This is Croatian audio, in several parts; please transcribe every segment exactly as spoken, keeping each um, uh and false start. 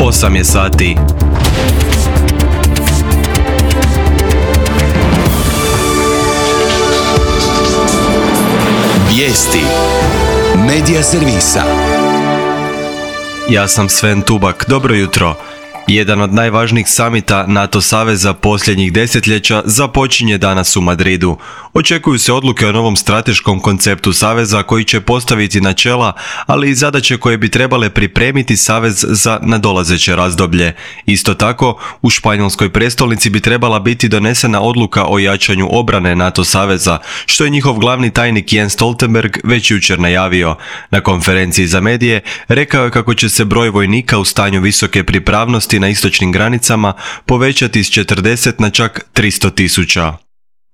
osam je sati. Vijesti Medija servisa. Ja sam Sven Tubak, dobro jutro. Jedan od najvažnijih samita NATO saveza posljednjih desetljeća započinje danas u Madridu. Očekuju se odluke o novom strateškom konceptu saveza koji će postaviti načela, ali i zadaće koje bi trebale pripremiti savez za nadolazeće razdoblje. Isto tako, u španjolskoj prestolnici bi trebala biti donesena odluka o jačanju obrane NATO saveza, što je njihov glavni tajnik Jens Stoltenberg već jučer najavio. Na konferenciji za medije rekao je kako će se broj vojnika u stanju visoke pripravnosti na istočnim granicama povećati s četrdeset na čak tristo tisuća.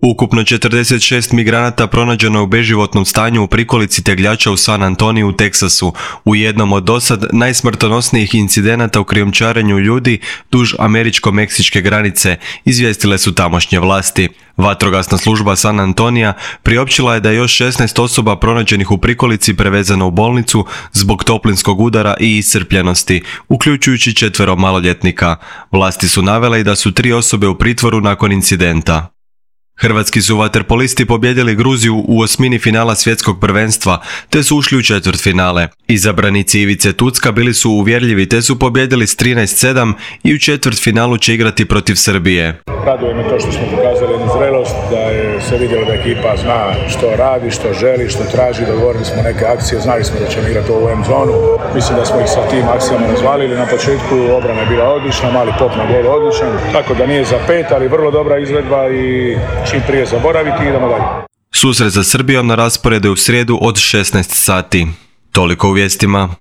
Ukupno četrdeset šest migranata pronađeno je u beživotnom stanju u prikolici tegljača u San Antoniju u Teksasu, u jednom od dosad najsmrtonosnijih incidenata u krijumčarenju ljudi duž američko-meksičke granice, izvijestile su tamošnje vlasti. Vatrogasna služba San Antonija priopćila je da je još šesnaest osoba pronađenih u prikolici prevezano u bolnicu zbog toplinskog udara i iscrpljenosti, uključujući četvero maloljetnika. Vlasti su navele i da su tri osobe u pritvoru nakon incidenta. Hrvatski su vaterpolisti pobijedili Gruziju u osmini finala svjetskog prvenstva, te su ušli u četvrtfinale. Izabranici Ivice Tucka bili su uvjerljivi te su pobijedili s trinaest sedam i u četvrtfinalu će igrati protiv Srbije. Raduje me to što smo pokazali jednu zrelost, da je se vidjelo da ekipa zna što radi, što želi, što traži, dogovorili smo neke akcije, znali smo da ćemo igrati ovu M zonu. Mislim da smo ih sa tim akcijama razvalili. Na početku obrana je bila odlična, mali pop na gol odličan, tako da nije za pet, ali vrlo dobra izvedba i čim prije zaboraviti i idemo dalje. Susret za Srbijom na rasporedu je u srijedu od šesnaest sati. Toliko u vijestima.